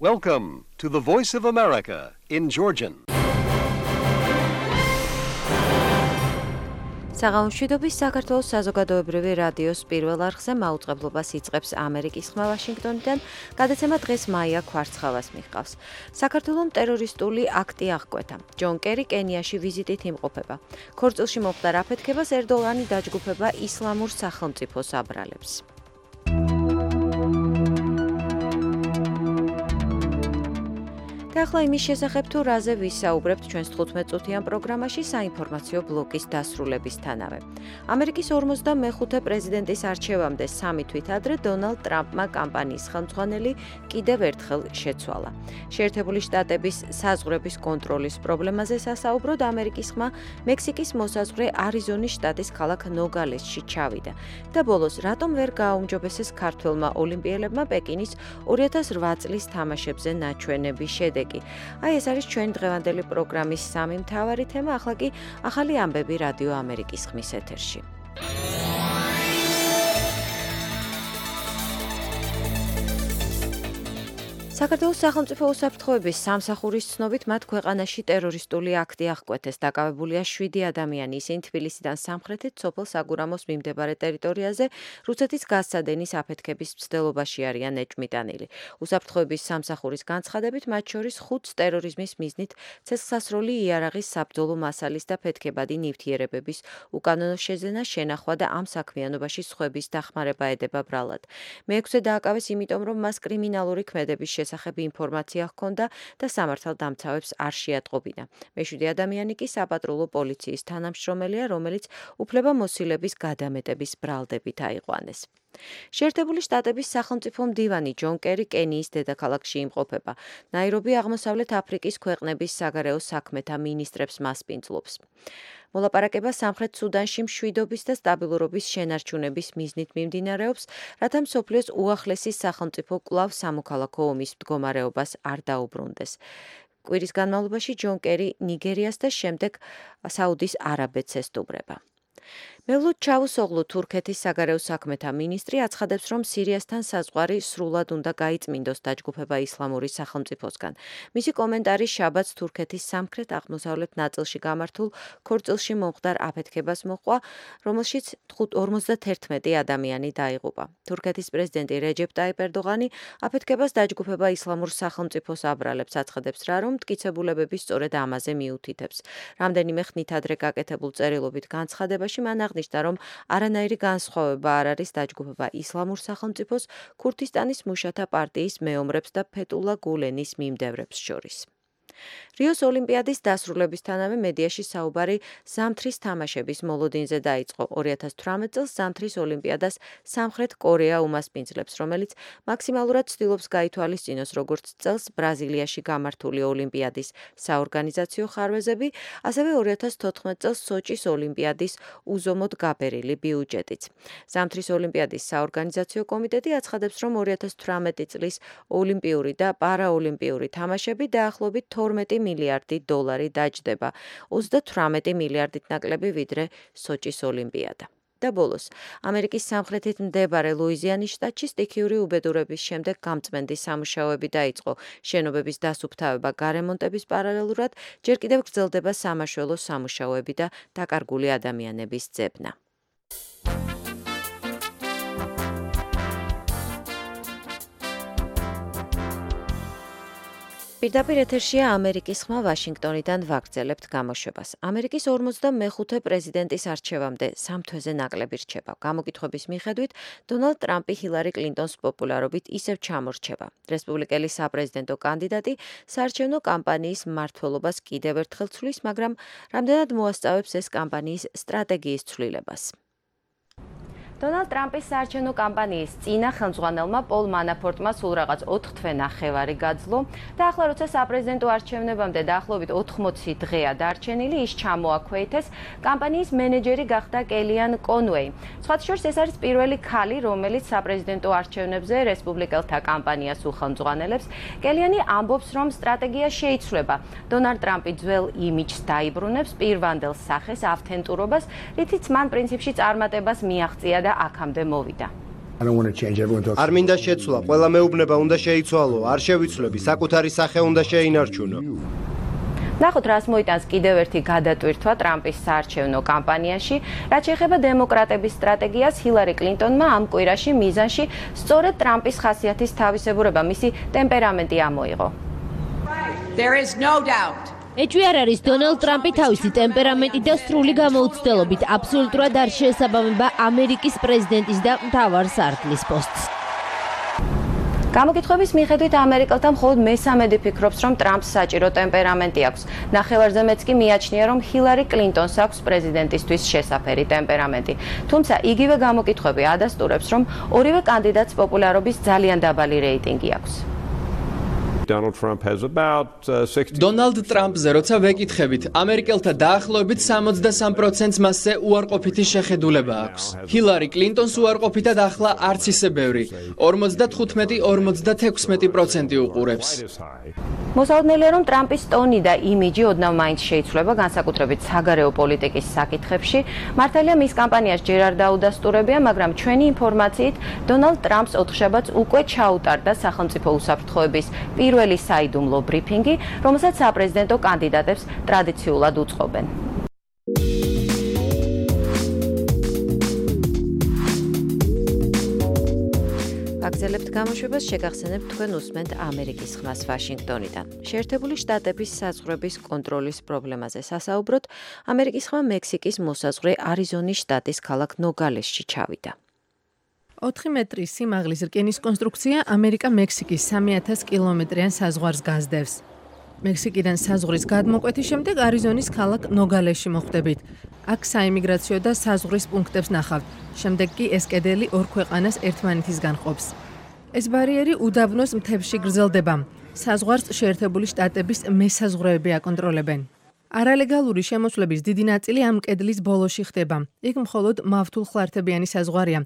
Welcome to the Voice of America in Georgian. საღამოშვიდობის საქართველოს საზოგადოებრივი რადიოს პირველ არხზე მაუწყებლობას იწყებს ამერიკის ხმა ვაშინგტონიდან, გადაცემა დღეს მაია ქვარცხავას მიჰყავს. საქართველოს ტერორისტული აქტი აღკვეთა. ჯონ კერი კენიაში ვიზიტით იმყოფება. ქორწილში მომხდარ აფეთქებას ერდოღანი დაჯგუფება ისლამურ სახელმწიფოს აბრალებს. და ახლა იმის შესახებ თუ რაზე ვისაუბრებთ ჩვენს 15-წუთიან პროგრამაში საინფორმაციო ბლოკის დასრულებისთანავე. ამერიკის 45 პრეზიდენტის არჩევამდე 3 თვით ადრე დონალდ ტრამპმა კამპანიის ხელმძღვანელი კიდევ ერთხელ შეცვალა. შეერთებული შტატების საზღვრების კონტროლის პრობლემაზე სასაუბროდ ამერიკის ხმა მექსიკის მოსაზღვრე არიზონის შტატის ქალაქ ნოგალესში ჩავიდა. და ბოლოს რატომ ვერ გააუმჯობესეს ქართველმა ოლიმპიელებმა პეკინის 2008 წლის თამაშებზე ნაჩვენების შედეგი. აი ეს არის ჩვენი დღევანდელი პროგრამის სამი მთავარი თემა, ახლა კი ახალი ამბები რადიო ამერიკის ხმის ეთერში. საქართველოს სახელმწიფო უსაფრთხოების სამსახურის ცნობით მათ ქვეყანაში ტერორისტული აქტი აღკვეთეს. დაკავებულია 7 ადამიანი, ისინი თბილისიდან სამხრეთით სოფელ საგურამოს მიმდებარე ტერიტორიაზე რუსეთის გაზსადენის აფეთქების მცდელობაში არიან ეჭვმიტანილი. უსაფრთხოების სამსახურის განცხადებით, მათ შორის 5 ტერორიზმის მიზნით ცეცხლსასროლი იარაღის საბრძოლო მასალის და ფეთქებადი ნივთიერებების უკანონო შეძენა, შენახვა და ამ საქმიანობაში სხვების დახმარება ედება ბრალად. მე-6-ე დააკავეს იმიტომ, რომ მას კრიმინალური ქმედების შესახებ ინფორმაცია ჰქონდა და სამართალდამცავებს არ შეატყობინა. მე-7 ადამიანი კი საპატრულო პოლიციის თანამშრომელია, რომელიც უფლებამოსილების გადამეტების ბრალდებით აიყვანეს. შეერთებული შტატების სახელმწიფო მდივანი ჯონ კერი კენიის დედაქალაქში იმყოფება. ნაირობი აღმოსავლეთ აფრიკის ქვეყნების საგარეო საქმეთა მინისტრებს მასპინძლობს. მოლაპარაკება სამხრეთ სუდანში მშვიდობის და სტაბილურობის შენარჩუნების მიზნით მიმდინარეობს, რათა მსოფლიოს უახლესი სახელმწიფო კვლავ სამოქალაქო ომის მდგომარეობას არ დაუბრუნდეს. კვირის განმავლობაში ჯონ კერი ნიგერიას და შემდეგ საუდის არაბეთს ესტუმრება. მევლუდ ჩავუსოღლუ თურქეთის საგარეო საქმეთა მინისტრი აცხადებს, რომ სირიასთან საზღვარი სრულად უნდა გაიწმინდოს დაჯგუფება ისლამური სახელმწიფოსგან. მისი კომენტარი შაბათს თურქეთის სამხრეთ-აღმოსავლეთ ნაწილში გამართულ ქორწილში მომხდარ აფეთქებას მოჰყვა, რომელშიც 51 ადამიანი დაიღუპა. თურქეთის პრეზიდენტი რეჯეპ ტაიპ ერდოღანი აფეთქებას დაჯგუფება ისლამურ სახელმწიფოს აბრალებს, აცხადებს რა, რომ მტკიცებულებები სწორედ ამაზე მიუთითებს. რამდენიმე ხნით ადრე გაკეთებულ წერილობით განცხადებაში მან აღნიშნა, რომ არანაირი განსხვავება არ არის დაჯგუფება ისლამურ სახელმწიფოს, ქურთისტანის მუშათა პარტიის მეომრებს და ფეტულა გულენის მიმდევრებს შორის. რიოს ოლიმპიადის დასრულებისთანავე მედიაში საუბარი ზამთრის თამაშების მოლოდინზე დაიწყო. 2018 წელს ზამთრის ოლიმპიადას სამხრეთ კორეა უმასპინძლებს, რომელიც მაქსიმალურად ცდილობს გაითვალისწინოს როგორც წელს ბრაზილიაში გამართული ოლიმპიადის საორგანიზაციო ხარვეზები, ასევე 2014 წელს სოჭის ოლიმპიადის უზომოდ გაბერილი ბიუჯეტიც. ზამთრის ოლიმპიადის საორგანიზაციო კომიტეტი აცხადებს, რომ 2018 წლის ოლიმპიური და პარაოლიმპიური თამაშები დაახლოებით 12 მილიარდი დოლარი დაჯდება, 38 მილიარდით ნაკლები ვიდრე სოჭის ოლიმპიადა. და ბოლოს, ამერიკის სამხრეთით მდებარე ლუიზიანის შტატში სტიქიური უბედურების შემდეგ გამწმენდი სამუშაოები დაიწყო. შენობების დასუფთავება გარემონტების პარალელურად ჯერ კიდევ გრძელდება სამაშველო სამუშაოები და დაკარგული ადამიანების ძებნა. პირდაპირ ეთერშია ამერიკის ხმა ვაშინგტონიდან ვაგრძელებთ გამოშვებას. ამერიკის 45 პრეზიდენტის არჩევამდე 3 თვეზე ნაკლები რჩება. გამოკითხვების მიხედვით, დონალდ ტრამპი ჰილარი კლინტონს პოპულარობით ისევ ჩამორჩება. რესპუბლიკელი საპრეზიდენტო კანდიდატი საარჩევნო კამპანიის მმართველობას კიდევ ერთხელ ცვლის, მაგრამ რამდენად მოასწავებს ეს კამპანიის სტრატეგიის ცვლილებას. დონალდ ტრამპის საარჩევნო კამპანიის წინა ხელმძღვანელმა პოლ მანაფორტმა სულ რაღაც 4 თვე ნახევარი გაძლო და ახლა როცა საპრეზიდენტო არჩევნებამდე დაახლოებით 80 დღეა დარჩენილი, ის ჩამოაქვეითეს კამპანიის მენეჯერი გახდა კელიან კონუეი. სხვათა შორის ეს არის პირველი ქალი, რომელიც საპრეზიდენტო არჩევნებზე რესპუბლიკელთა კამპანიას უხელმძღვანელებს. კელიანი ამბობს, რომ სტრატეგია შეიცვლება. დონალდ ტრამპი ძველ იმიჯს დაიბრუნებს, პირვანდელ სახეს, ავთენტურობას, რითიც მან პრინციპში წარმატებას მიაღწია და აქამდე მოვიდა. არ მინდა შეცვლა, ყველა მეუბნება უნდა შეიცვალო, არ შევიცვლები, საკუთარი სახე უნდა შეინარჩუნო. ნახოთ, რას მოიტანს კიდევ ერთი გადატვირთვა ტრამპის საარჩევნო კამპანიაში, რაც შეეხება დემოკრატების სტრატეგიას. ჰილარი კლინტონმა ამ კვირაში მიზანში სწორედ ტრამპის ხასიათის თავისებურება, მისი ტემპერამენტი ამოიღო. ეჭვი არ არის, დონალდ ტრამპი თავისი ტემპერამენტით და სრული გამოუცდელობით აბსოლუტურად არ შეესაბამება ამერიკის პრეზიდენტის და მთავარ სარდლის პოსტს. გამოკითხვების მიხედვით ამერიკელთა მხოლოდ მესამედი ფიქრობს, რომ ტრამპს საჭირო ტემპერამენტი აქვს. ნახევარზე მეც კი მიაჩნია, რომ ჰილარი კლინტონს აქვს პრეზიდენტისთვის შესაფერი ტემპერამენტი. თუმცა იგივე გამოკითხვები ადასტურებს, რომ ორივე კანდიდატს პოპულარობის ძალიან დაბალი რეიტინგი აქვს. დონალდ ტრამპზე როცა ვეკითხებით, ამერიკელთა დაახლოებით 63%-ს მასზე უარყოფითი შეხედულება აქვს. ჰილარი კლინტონს უარყოფითად ახლა არც ისე ბევრი, 55-56% უყურებს. მოსალოდნელია, რომ ტრამპის ტონი და იმიჯი ოდნავ მაინც შეიცვლება, განსაკუთრებით საგარეო პოლიტიკის საკითხებში. მართალია, მის კამპანიას ჯერ არ დაუდასტურებია, მაგრამ ჩვენი ინფორმაციით დონალდ ტრამპს ოთხშაბათს უკვე ჩაუტარდა სახელმწიფო უსაფრთხოების პირველი საიდუმლო ბრიფინგი, რომელსაც საპრეზიდენტო კანდიდატებს ტრადიციულად უწყობენ. აგზელებთ გამოშვებას, შეგახსენებთ თქვენ უსმენთ ამერიკის ხმას ვაშინგტონიდან. შეერთებული შტატების საზღვრების კონტროლის პრობლემაზე სასაუბროთ, ამერიკის ხმა მექსიკის მოსაზღვრე არიზონის შტატის ქალაქ ნოგალესში ჩავიდა. 4 მეტრის სიმაღლის რკინის კონსტრუქცია ამერიკა-მექსიკის 3000 კილომეტრიან საზღვარს გასდევს. მექსიკიდან საზღვრის გადმოკვეთის შემდეგ არიზონის ქალაქ ნოგალესში მოხვდებით. აქ საიმიგრაციო და საზღვრის პუნქტებს ნახავთ. შემდეგ კი ეს კედელი ორ ქვეყანას ერთმანეთისგან ყოფს. ეს ბარიერი უდაბნოს მთებში გრძელდება. საზღვარს შეერთებული შტატების მესაზღვრეები აკონტროლებენ. არალეგალური შემოსვლების დიდი ნაწილი ამ კედლის ბოლოში ხდება. იქ მხოლოდ მავთულხლართებიანი საზღვარია,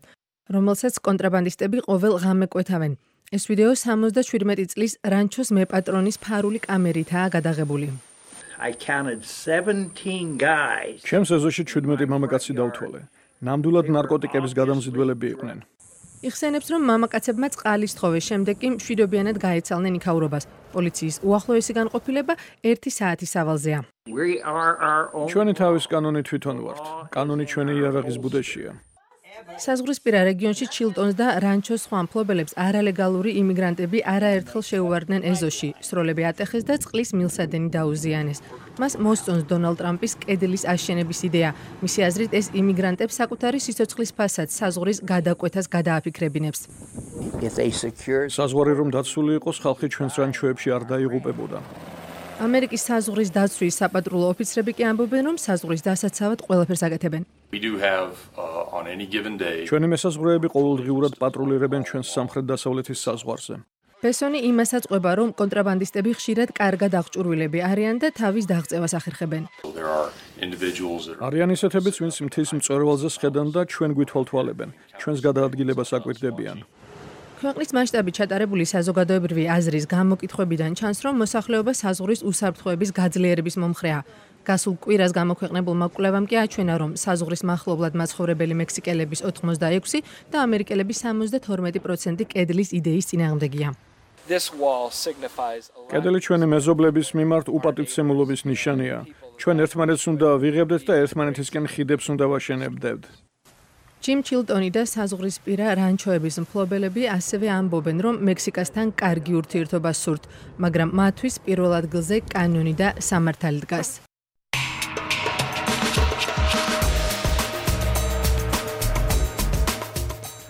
რომელსაც კონტრაბანდისტები ყოველ ღამე კვეთავენ. ეს ვიდეო 77 წლის რანჩოს მეპატრონის ფარული კამერითაა გადაღებული. ჩემს ეზოში 17 მამაკაცი დავთვალე. ნამდვილად ნარკოტიკების გადამზიდველები იყვნენ. იხსენებს, რომ მამაკაცებმა წყალი სთხოვეს, შემდეგ კი მშვიდობიანად გაეცალნენ იქაურობას. პოლიციის უახლოესი განყოფილება 1 საათის სავალზეა. ჩვენი თავის კანონი თვითონ ვართ. კანონი ჩვენი იარაღის ბუდეშია. საზღვრისპირა რეგიონში ჩილტონს და რანჩოს სხვა მფლობელებს არალეგალური იმიგრანტები არაერთხელ შეუვარდნენ ეზოში, სროლები ატეხეს და წყლის მილსადენი დაუზიანეს. მას მოსწონს დონალდ ტრამპის კედლის აშენების იდეა. მისი აზრით, ეს იმიგრანტებს საკუთარი სიცოცხლის ფასად საზღვრის გადაკვეთას გადააფიქრებინებს. საზღვარი რომ დაცული იყოს, ხალხი ჩვენს რანჩოებში არ დაიღუპებოდა. ამერიკის საზღვრის დაცვის საპატრულო ოფიცრები კი ამბობენ, რომ საზღვრის დასაცავად ყველაფერს აკეთებენ. ჩვენი მესაზღვრეები ყოველდღიურად პატრულირებენ ჩვენს სამხრეთ-დასავლეთის საზღვარზე. ბესონი იმასაც ყვება, რომ კონტრაბანდისტები ხშირად კარგად აღჭურვილები არიან და თავის დაღწევას ახერხებენ. არიან ისეთებიც, ვინც მთის მწვერვალზე სხედან და ჩვენ გვითვალთვალებენ. ჩვენს გადაადგილებას აკვირდებიან. ქვეყნის მასშტაბით ჩატარებული საზოგადოებრივი აზრის გამოკითხვებიდან ჩანს, რომ მოსახლეობა საზღვრის უსაფრთხოების გაძლიერების მომხრეა. გასულ კვირას გამოქვეყნებულმა კვლევამ კი აჩვენა, რომ საზღვრის მახლობლად მაცხოვრებელი მექსიკელების 86 და ამერიკელების 72% კედლის იდეის წინააღმდეგია. კედელი ჩვენი მეზობლების მიმართ უპატივცემულობის ნიშანია. ჩვენ ერთმანეთს უნდა ვიღებდეთ და ერთმანეთისკენ ხიდებს უნდა ვაშენებდეთ. ჯიმ ჩილტონი და საზღვრისპირა რანჩოების მფლობელები ასევე ამბობენ, რომ მექსიკასთან კარგი ურთიერთობა სურთ, მაგრამ მათთვის პირველ ადგილზე კანონი და სამართალი დგას.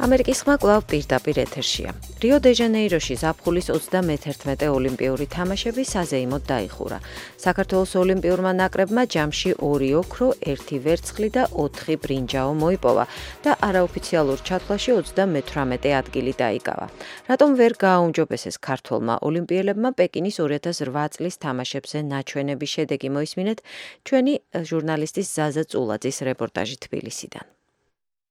ამერიკის ხმა კვლავ პირდაპირ ეთერშია. რიო-დე-ჟანეიროში ზაფხულის 31 ოლიმპიური თამაშები საზეიმოდ დაიხურა. საქართველოს ოლიმპიურმა ნაკრებმა ჯამში 2 ოქრო, 1 ვერცხლი და 4 ბრინჯაო მოიპოვა და არაოფიციალურ ჩათვლაში 38 ადგილი დაიკავა. რატომ ვერ გააუმჯობესეს ქართველმა ოლიმპიელებმა პეკინის 2008 წლის თამაშებზე ნაჩვენების შედეგი მოისმინეთ ჩვენი ჟურნალისტის ზაზა წულაძის რეპორტაჟი თბილისიდან.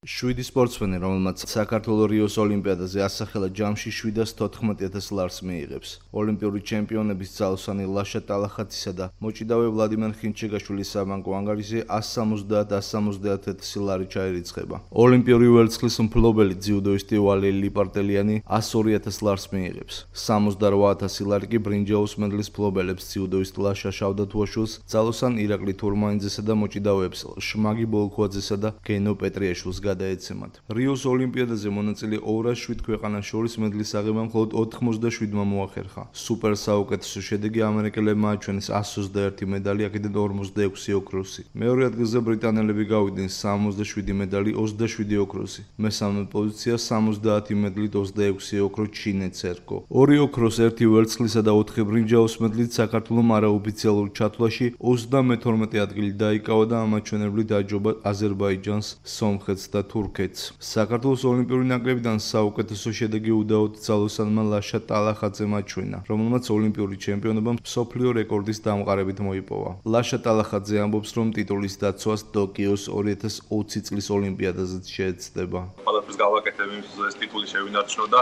7 სპორტსმენი, რომელმაც საქართველოს რიოს ოლიმპიადაზე ასახელა ჯამში 714,000 ლარს მიიღებს. ოლიმპიური ჩემპიონების ძალოსანი ლაშა ტალახაძისა და მოჭიდავე ვლადიმერ ხინჩეგაშვილის საბანკო ანგარიზე 170-171,000 ლარი ჩაირიცხება. ოლიმპიური ვერცხლის მფლობელი ძიუდოისტი ვალერი ლიპარტელიანი 102,000 ლარს მიიღებს. 68,000 ლარი კი ბრინჯაოს მედლის მფლობელებს ძიუდოისტ ლაშა შავდათუაშვილს, ძალოსან ირაკლი თურმანიძესა და მოჭიდავეებს შმაგი ბოლქვაძესა და გენო პეტრიაშვილს გადაეცემათ. რიოს ოლიმპიადაზე მონაწილე 207 ქვეყანას შორის მედლის აღება მხოლოდ 97-მა მოახერხა. სუპერ საუკეთესო შედეგი ამერიკელებმა აჩვენეს 121 медали, აქედან 46 ოქროსი. მეორე ადგილზე ბრიტანელები გავიდნენ 67 медали, 27 ოქროსი. მესამე პოზიცია 70 медლით 26 ოქრო ჩინეთს ერგო. 2 ოქროს, 1 ვერცხლისა და 4 ბრინჯაოს медლით საქართველოს არაოფიციალურ ჩათვლაში 32 ადგილი დაიკავა და ამაჩვენებლით აჯობა აზერბაიჯანს, სომხეთს და თურქეთს. საქართველოს ოლიმპიური ნაკრებიდან საუკეთესო შედეგი უდაოდ ძალოსანმა ლაშა ტალახაძემ აჩვენა, რომელმაც ოლიმპიური ჩემპიონობა მსოფლიო რეკორდის დამყარებით მოიპოვა. ლაშა ტალახაძე ამბობს, რომ ტიტულის დაცვას ტოკიოს 2020 წლის ოლიმპიადაზეც შეეცდება. ყველაფერს გავაკეთებ იმისთვის, ეს ტიტული შევინარჩუნო და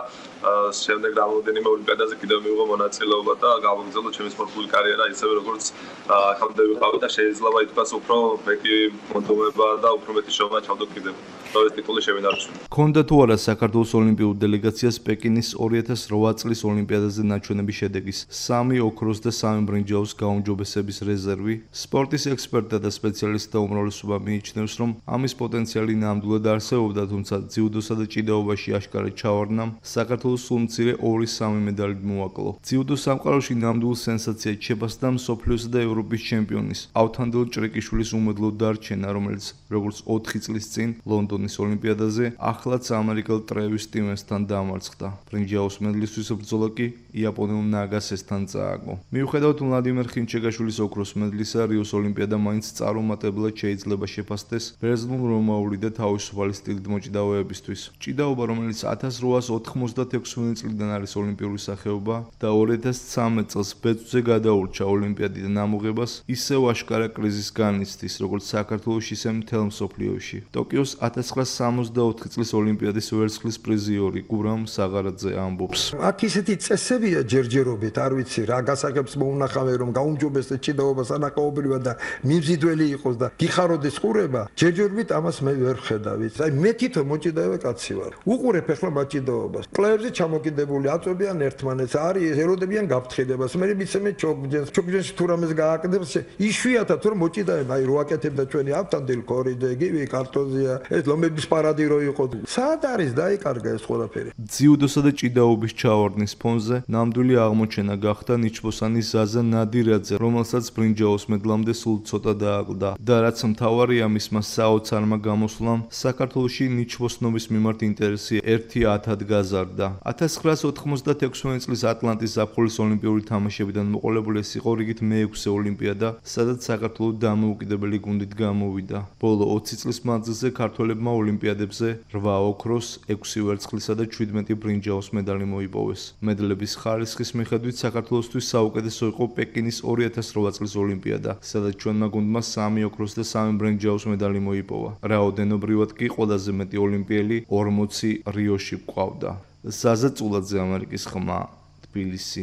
შემდეგ რამოდენიმე ოლიმპიადაზე კიდევ მივიღო მონაწილეობა და გავაგრძელო ჩემი სპორტული კარიერა ისევე როგორც ახალგაზრდა ვიყავი და შეიძლება ითქვას უფრო მეტი მონდომება და უფრო მეტი შრომა ჩავდო კიდევ. ეს ტიტული შევინარჩუნო. ქონდა თუ არა საქართველოს ოლიმპიურ დელეგაციას პეკინის 2008 წლის ოლიმპიადაზე ნაჩვენები შედეგის 3 ოქროს და 3 ბრინჯაოს გაუმჯობესების რეზერვი, სპორტის ექსპერტთა და სპეციალისტთა უმრავლესობა მიიჩნევს, რომ ამის პოტენციალი ნამდვილად არსებობდა, თუმცა ძიუდოსა და ჭიდაობაში აშკარად ჩავარდნამ საქართველოს სულ მცირე 2-3 მედალით მოაკლო. ძიუდოს სამყაროში ნამდვილ სენსაციად შეფასდა მსოფლიოსა და ევროპის ჩემპიონის ავთანდილ ჭრიკიშვილის უმედლო დარჩენა, რომელიც როგორც 4 წლის წინ ლონდონის ოლიმპიადაზე ახლაც ამერიკელ ტრევის სტივენსთან დამარცხდა. ბრინჯაოს მედლისთვის ბრძოლა კი იაპონელ ნაგასესთან წააგო. მიუხედავად ვლადიმერ ხინჩეგაშვილის ოქროს მედლისა, რიოს ოლიმპიადა მაინც წარუმატებლად შეიძლება შეფასდეს ბერძნულ-რომაული და თავისუფალი სტილით მოჭიდავეებისთვის. ჭიდაობა, რომელიც 1896 წლიდან არის ოლიმპიური სახეობა და 2013 წელს ბეწვზე გადაურჩა ოლიმპიადიდან ამოღებას, ისევ აშკარა კრიზისს განიცდის, როგორც საქართველოს, ისე მთელ მსოფლიოში. ტოკიოს 1964 წლის ოლიმპიადის ვერცხლის პრიზიორი გურამ საღარაძე ამბობს. აქ ისეთი წესებია ჯერჯერობით, არ ვიცი რა გასაგებს მოუნახავე, რომ გაუმჯობესდეს ჭიდაობა სანახაობრივად და მიმზიდველი იყოს და გიხაროდეს ყურება, ჯერჯერობით ამას მე ვერ ხედავით. აი მე თვითონ მოჭიდავე კაცი ვარ. უყურებ ახლა მაჭიდაობას. კლაებზე ჩამოკიდებული აწვევიან ერთმანეთს, არის ელოდებიან გაფრთხილებას. მე მიცემე ჩოგჯენში თუ რამეს გააკეთებს, იშვიათად რომ მოჭიდავება, აი რო აკეთებდა ჩვენი ავთანდილ კორიდე, გივი კარტოზია, ეს ლომების პარადი რო იყო. სად არის დაიკარგა ეს ყველაფერი? ძიუდოსა და ჭიდაობის ჩავარდნის ფონზე ნამდვილი აღმოჩენა გახდა ნიჩბოსანის ზაზა ნადირაძე, რომელსაც ბრინჯაოს მედლამდე სულ ცოტა დააკლდა და რაც მთავარია, მისმა საოცარმა გამოსვლამ საქართველოში ნიჩბოსნობის მიმართ ინტერესი 1-10-ად გაზარდა. 1996 წლის ატლანტის ზაფხულის ოლიმპიური თამაშებიდან მოყოლებული ეს იყო რიგით მე-6 ოლიმპიადა, სადაც საქართველო დამოუკიდებელი გუნდით გამოვიდა. ბოლო 20 წლის მანძილზე ქართველებმა ოლიმპიადებზე 8 ოქროს, 6 ვერცხლისა და 17 ბრინჯაოს მედალი მოიპოვეს. მედლების ხარისხის მიხედვით საქართველოსთვის საუკეთესო იყო პეკინის 2008 წლის ოლიმპიადა, სადაც ჩვენმა გუნდმა 3 ოქროს და 3 ბრინჯაოს მედალი მოიპოვა. რაოდენობრივად კი ყველაზე მეტი ოლიმპიელი 40 რიოში გვყავდა. ზაზა წულაძე, ამერიკის ხმა, თბილისი.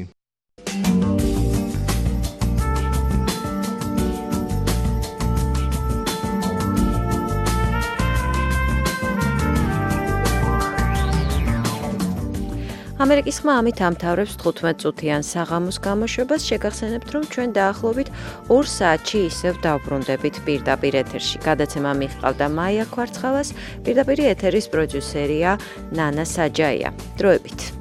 ამერიკის ხმა ამით ამთავრებს 15 წუთიან საღამოს გამოშვებას. შეგახსენებთ, რომ ჩვენ დაახლოებით 2 საათში ისევ დავბრუნდებით პირდაპირ ეთერში. გადაცემა მიჰყავდა მაია ქვარცხალას, პირდაპირ ეთერის პროდიუსერია ნანა საჯაია. დროებით.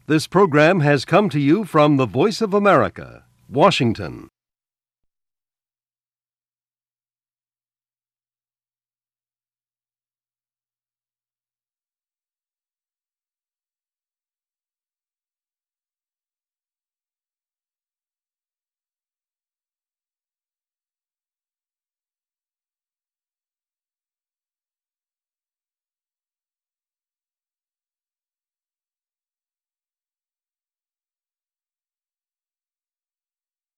This program has come to you from the Voice of America, Washington.